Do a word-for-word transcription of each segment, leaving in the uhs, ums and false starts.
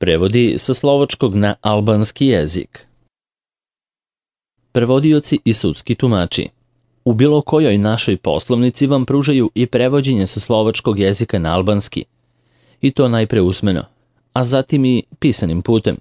Prevodi sa slovačkog na albanski jezik. Prevodioci i sudski tumači u bilo kojoj našoj poslovnici vam pružaju i prevođenje sa slovačkog jezika na albanski, i to najpre usmeno, a zatim i pisanim putem,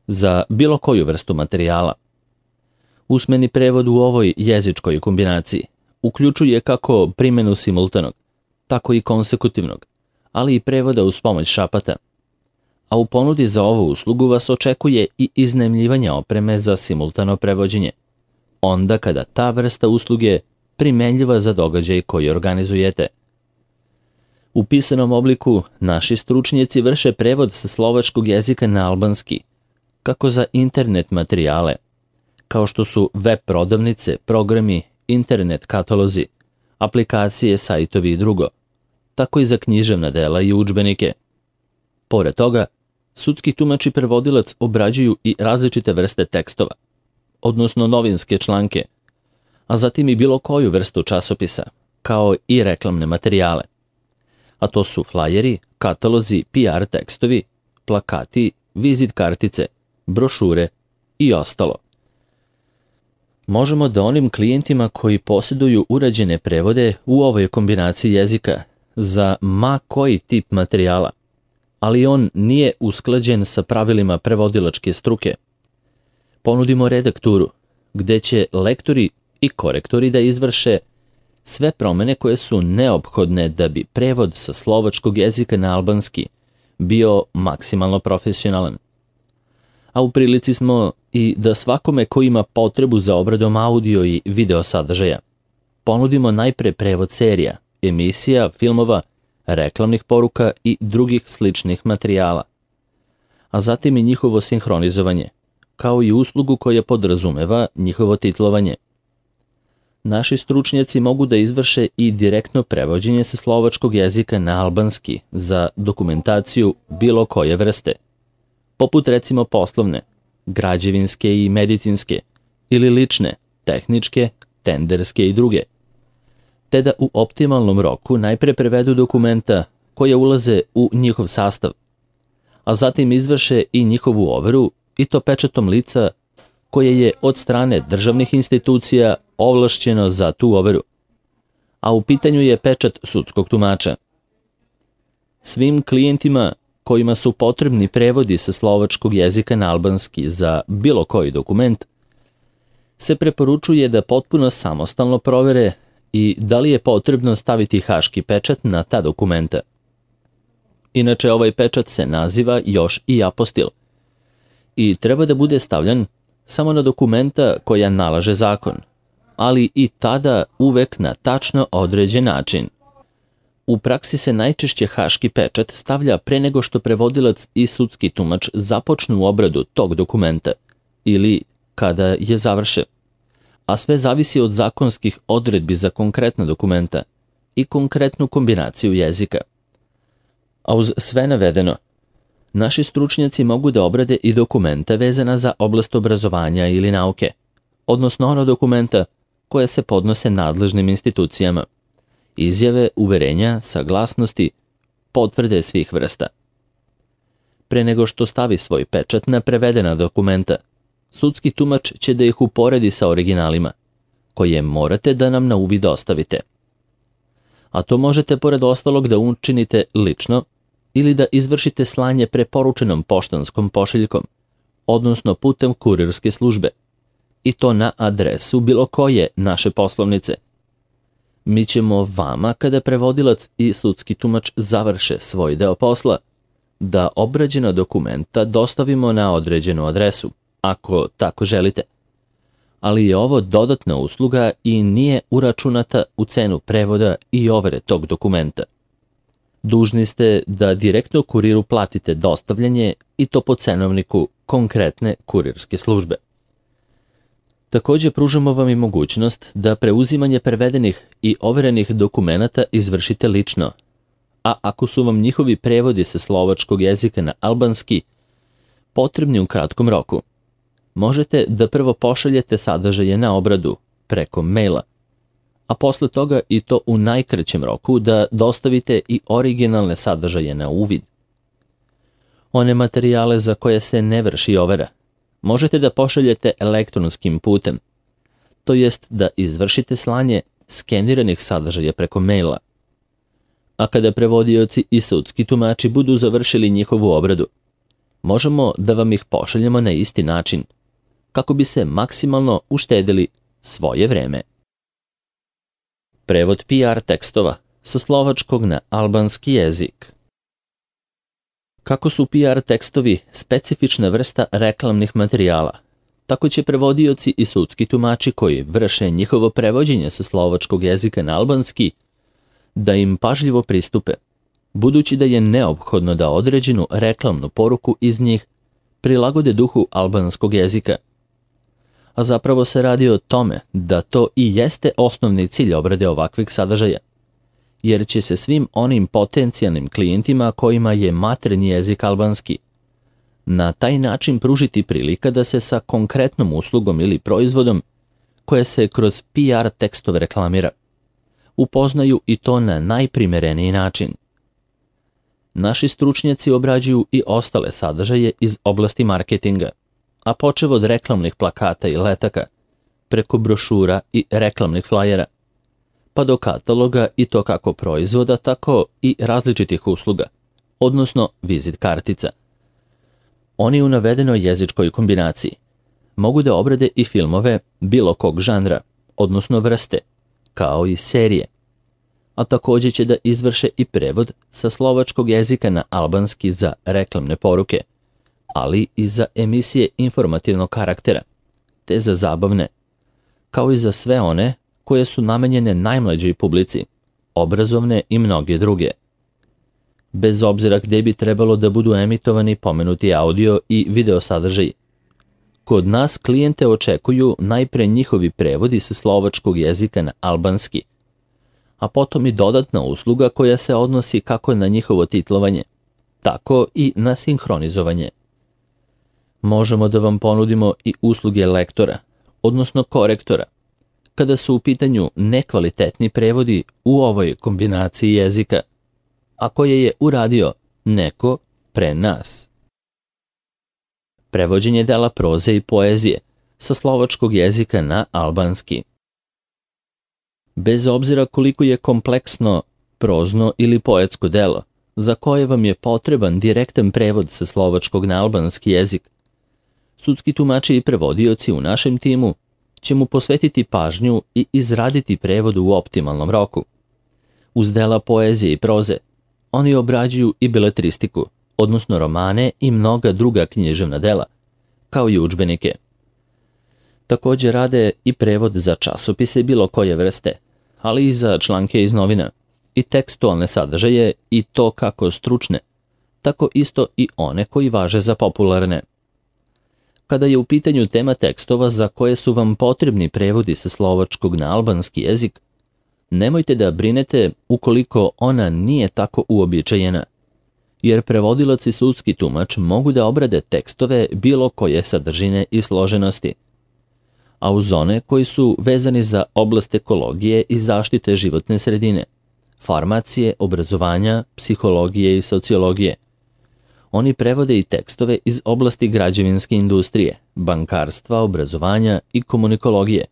za bilo koju vrstu materijala. Usmeni prevod u ovoj jezičkoj kombinaciji uključuje kako primjenu simultanog, tako i konsekutivnog, ali i prevoda uz pomoć šapata. A u ponudi za ovu uslugu vas očekuje i iznajmljivanje opreme za simultano prevođenje, onda kada ta vrsta usluge primenljiva za događaj koji organizujete. U pisanom obliku naši stručnjaci vrše prevod sa slovačkog jezika na albanski, kako za internet materijale, kao što su web prodavnice, programi, internet katalozi, aplikacije, sajtovi i drugo, tako i za književna dela i udžbenike. Pored toga, sudski tumač i prevodilac obrađuju i različite vrste tekstova, odnosno novinske članke, a zatim i bilo koju vrstu časopisa, kao i reklamne materijale. A to su flajeri, katalozi, P R tekstovi, plakati, vizit kartice, brošure i ostalo. Možemo da onim klijentima koji posjeduju urađene prevode u ovoj kombinaciji jezika za ma koji tip materijala, ali on nije usklađen sa pravilima prevodilačke struke, ponudimo redakturu, gde će lektori i korektori da izvrše sve promene koje su neophodne da bi prevod sa slovačkog jezika na albanski bio maksimalno profesionalan. A u prilici smo i da svakome ko ima potrebu za obradom audio i video sadržaja ponudimo najpre prevod serija, emisija, filmova, reklamnih poruka i drugih sličnih materijala, a zatim i njihovo sinhronizovanje, kao i uslugu koja podrazumeva njihovo titlovanje. Naši stručnjaci mogu da izvrše i direktno prevođenje sa slovačkog jezika na albanski za dokumentaciju bilo koje vrste, poput recimo poslovne, građevinske i medicinske, ili lične, tehničke, tenderske i druge, te da u optimalnom roku najpre prevedu dokumenta koja ulaze u njihov sastav, a zatim izvrše i njihovu overu, i to pečatom lica koje je od strane državnih institucija ovlašćeno za tu overu, a u pitanju je pečat sudskog tumača. Svim klijentima kojima su potrebni prevodi sa slovačkog jezika na albanski za bilo koji dokument, se preporučuje da potpuno samostalno provere i da li je potrebno staviti haški pečat na ta dokumenta. Inače, ovaj pečat se naziva još i apostil i treba da bude stavljan samo na dokumenta koja nalaže zakon, ali i tada uvek na tačno određen način. U praksi se najčešće haški pečat stavlja pre nego što prevodilac i sudski tumač započnu obradu tog dokumenta ili kada je završe, a sve zavisi od zakonskih odredbi za konkretna dokumenta i konkretnu kombinaciju jezika. A uz sve navedeno, naši stručnjaci mogu da obrade i dokumenta vezana za oblast obrazovanja ili nauke, odnosno ono dokumenta koje se podnose nadležnim institucijama, izjave, uverenja, saglasnosti, potvrde svih vrsta. Pre nego što stavi svoj pečat na prevedena dokumenta, sudski tumač će da ih uporedi sa originalima, koje morate da nam na uvid ostavite. A to možete pored ostalog da učinite lično ili da izvršite slanje preporučenom poštanskom pošiljkom, odnosno putem kurirske službe, i to na adresu bilo koje naše poslovnice. Mi ćemo vama, kada prevodilac i sudski tumač završe svoj deo posla, da obrađena dokumenta dostavimo na određenu adresu, ako tako želite. Ali je ovo dodatna usluga i nije uračunata u cenu prevoda i overe tog dokumenta. Dužni ste da direktno kuriru platite dostavljanje i to po cenovniku konkretne kurirske službe. Također pružamo vam i mogućnost da preuzimanje prevedenih i overenih dokumenata izvršite lično, a ako su vam njihovi prevodi sa slovačkog jezika na albanski potrebni u kratkom roku, možete da prvo pošaljete sadržaje na obradu preko maila, a posle toga i to u najkraćem roku da dostavite i originalne sadržaje na uvid. One materijale za koje se ne vrši overa možete da pošaljete elektronskim putem, to jest da izvršite slanje skeniranih sadržaja preko maila. A kada prevodioci i sudski tumači budu završili njihovu obradu, možemo da vam ih pošaljemo na isti način, kako bi se maksimalno uštedili svoje vreme. Prevod P R tekstova sa slovačkog na albanski jezik. Kako su P R tekstovi specifična vrsta reklamnih materijala, tako će prevodioci i sudski tumači koji vrše njihovo prevođenje sa slovačkog jezika na albanski da im pažljivo pristupe, budući da je neophodno da određenu reklamnu poruku iz njih prilagode duhu albanskog jezika. A zapravo se radi o tome da to i jeste osnovni cilj obrade ovakvih sadržaja, jer će se svim onim potencijalnim klijentima kojima je maternji jezik albanski na taj način pružiti prilika da se sa konkretnom uslugom ili proizvodom koje se kroz P R tekstove reklamira upoznaju i to na najprimereniji način. Naši stručnjaci obrađuju i ostale sadržaje iz oblasti marketinga, a počev od reklamnih plakata i letaka, preko brošura i reklamnih flajera, pa do kataloga i to kako proizvoda, tako i različitih usluga, odnosno vizit kartica. Oni u navedenoj jezičkoj kombinaciji mogu da obrade i filmove bilo kog žanra, odnosno vrste, kao i serije, a također će da izvrše i prevod sa slovačkog jezika na albanski za reklamne poruke, ali i za emisije informativnog karaktera, te za zabavne, kao i za sve one koje su namenjene najmlađoj publici, obrazovne i mnoge druge. Bez obzira gdje bi trebalo da budu emitovani pomenuti audio i video sadržaji, kod nas klijente očekuju najpre njihovi prevodi sa slovačkog jezika na albanski, a potom i dodatna usluga koja se odnosi kako na njihovo titlovanje, tako i na sinhronizovanje. Možemo da vam ponudimo i usluge lektora, odnosno korektora, kada su u pitanju nekvalitetni prevodi u ovoj kombinaciji jezika, a koje je uradio neko pre nas. Prevođenje dela proze i poezije sa slovačkog jezika na albanski. Bez obzira koliko je kompleksno, prozno ili poetsko delo, za koje vam je potreban direktan prevod sa slovačkog na albanski jezik, sudski tumači i prevodioci u našem timu će mu posvetiti pažnju i izraditi prevod u optimalnom roku. Uz dela poezije i proze, oni obrađuju i beletristiku, odnosno romane i mnoga druga književna dela, kao i udžbenike. Također rade i prevod za časopise bilo koje vrste, ali i za članke iz novina, i tekstualne sadržaje i to kako stručne, tako isto i one koji važe za popularne. Kada je u pitanju tema tekstova za koje su vam potrebni prevodi sa slovačkog na albanski jezik, nemojte da brinete ukoliko ona nije tako uobičajena, jer prevodilac i sudski tumač mogu da obrade tekstove bilo koje sadržine i složenosti, a uz one koji su vezani za oblast ekologije i zaštite životne sredine, farmacije, obrazovanja, psihologije i sociologije. Oni prevode i tekstove iz oblasti građevinske industrije, bankarstva, obrazovanja i komunikologije,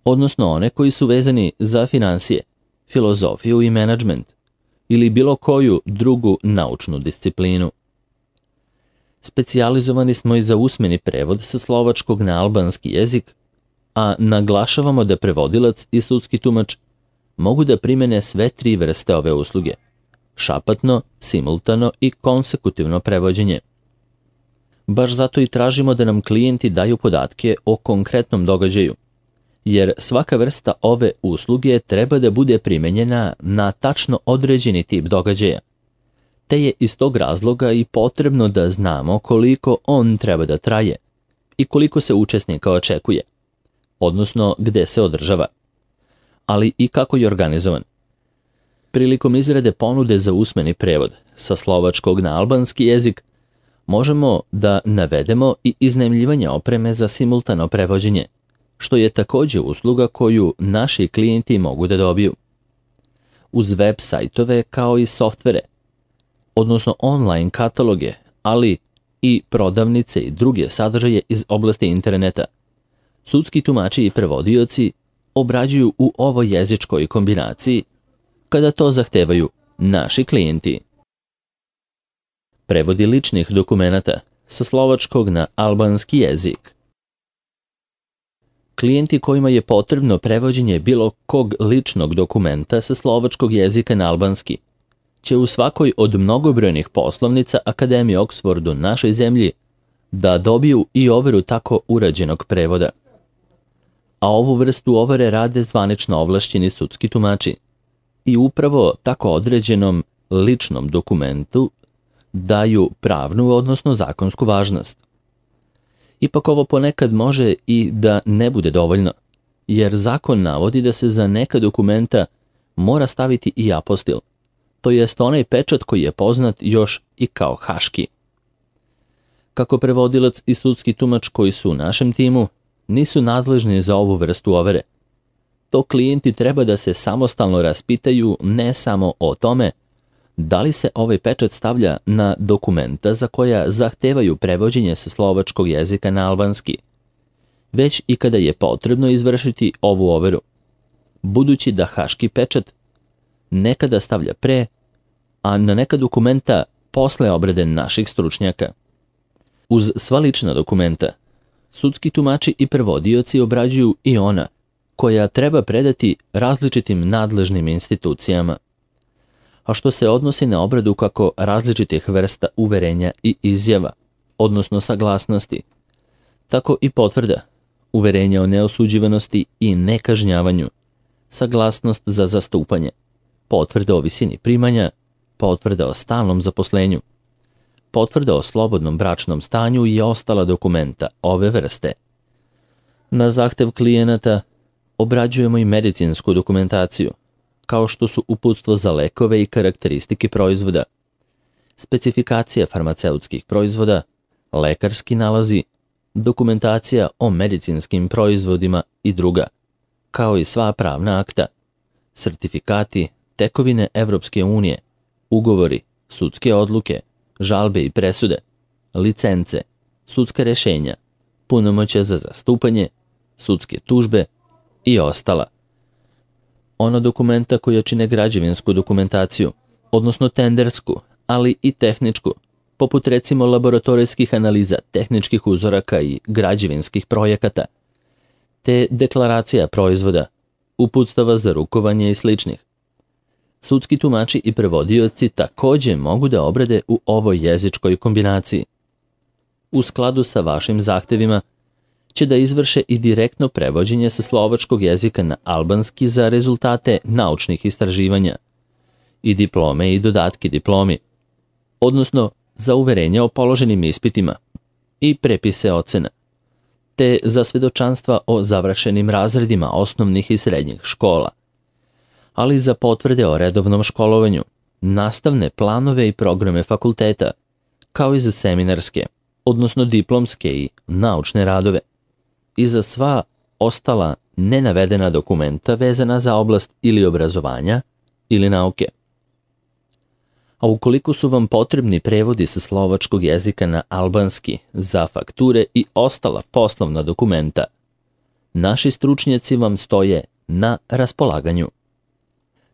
odnosno one koji su vezani za finansije, filozofiju i menadžment ili bilo koju drugu naučnu disciplinu. Specijalizovani smo i za usmeni prevod sa slovačkog na albanski jezik, a naglašavamo da prevodilac i sudski tumač mogu da primene sve tri vrste ove usluge: šapatno, simultano i konsekutivno prevođenje. Baš zato i tražimo da nam klijenti daju podatke o konkretnom događaju, jer svaka vrsta ove usluge treba da bude primenjena na tačno određeni tip događaja, te je iz tog razloga i potrebno da znamo koliko on treba da traje i koliko se učesnika očekuje, odnosno gde se održava, ali i kako je organizovan. Prilikom izrade ponude za usmeni prevod sa slovačkog na albanski jezik, možemo da navedemo i iznajmljivanje opreme za simultano prevođenje, što je također usluga koju naši klijenti mogu da dobiju. Uz web sajtove kao i softvere, odnosno online kataloge, ali i prodavnice i druge sadržaje iz oblasti interneta. Sudski tumači i prevodioci obrađuju u ovoj jezičkoj kombinaciji kada to zahtevaju naši klijenti. Prevodi ličnih dokumenata sa slovačkog na albanski jezik. Klijenti kojima je potrebno prevođenje bilo kog ličnog dokumenta sa slovačkog jezika na albanski će u svakoj od mnogobrojnih poslovnica Akademije Oxford u našoj zemlji da dobiju i overu tako urađenog prevoda. A ovu vrstu overe rade zvanično ovlašćeni sudski tumači i upravo tako određenom ličnom dokumentu daju pravnu, odnosno zakonsku važnost. Ipak ovo ponekad može i da ne bude dovoljno, jer zakon navodi da se za neka dokumenta mora staviti i apostil, to jest onaj pečat koji je poznat još i kao haški. Kako prevodilac i sudski tumač koji su u našem timu nisu nadležni za ovu vrstu overe, to klijenti treba da se samostalno raspitaju ne samo o tome da li se ovaj pečat stavlja na dokumenta za koja zahtevaju prevođenje sa slovačkog jezika na albanski, već i kada je potrebno izvršiti ovu overu, budući da haški pečat nekada stavlja pre, a na neka dokumenta posle obrade naših stručnjaka. Uz sva lična dokumenta, sudski tumači i prevodioci obrađuju i ona koja treba predati različitim nadležnim institucijama, a što se odnosi na obradu kako različitih vrsta uverenja i izjava, odnosno saglasnosti, tako i potvrda, uverenja o neosuđivanosti i nekažnjavanju, saglasnost za zastupanje, potvrda o visini primanja, potvrda o stalnom zaposlenju, potvrda o slobodnom bračnom stanju i ostala dokumenta ove vrste. Na zahtev klijenata obrađujemo i medicinsku dokumentaciju, kao što su uputstvo za lekove i karakteristike proizvoda, specifikacija farmaceutskih proizvoda, lekarski nalazi, dokumentacija o medicinskim proizvodima i druga, kao i sva pravna akta, sertifikati, tekovine Evropske unije, ugovori, sudske odluke, žalbe i presude, licence, sudska rešenja, punomoćja za zastupanje, sudske tužbe i ostala. Ona dokumenta koja čine građevinsku dokumentaciju, odnosno tendersku, ali i tehničku, poput recimo laboratorijskih analiza, tehničkih uzoraka i građevinskih projekata, te deklaracija proizvoda, uputstava za rukovanje i sličnih. Sudski tumači i prevodioci takođe mogu da obrade u ovoj jezičkoj kombinaciji. U skladu sa vašim zahtevima će da izvrše i direktno prevođenje sa slovačkog jezika na albanski za rezultate naučnih istraživanja i diplome i dodatke diplomi, odnosno za uverenja o položenim ispitima i prepise ocena, te za svedočanstva o završenim razredima osnovnih i srednjih škola, ali za potvrde o redovnom školovanju, nastavne planove i programe fakulteta, kao i za seminarske, odnosno diplomske i naučne radove, i za sva ostala nenavedena dokumenta vezana za oblast ili obrazovanja ili nauke. A ukoliko su vam potrebni prevodi sa slovačkog jezika na albanski za fakture i ostala poslovna dokumenta, naši stručnjaci vam stoje na raspolaganju.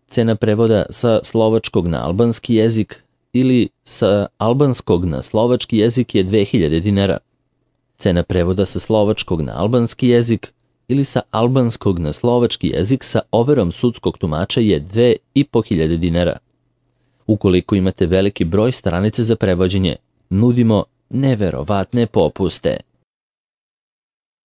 Cena prevoda sa slovačkog na albanski jezik ili sa albanskog na slovački jezik je dve hiljade dinara. Cena prevoda sa slovačkog na albanski jezik ili sa albanskog na slovački jezik sa overom sudskog tumača je dve i po hiljade dinara. Ukoliko imate veliki broj stranica za prevođenje, nudimo neverovatne popuste.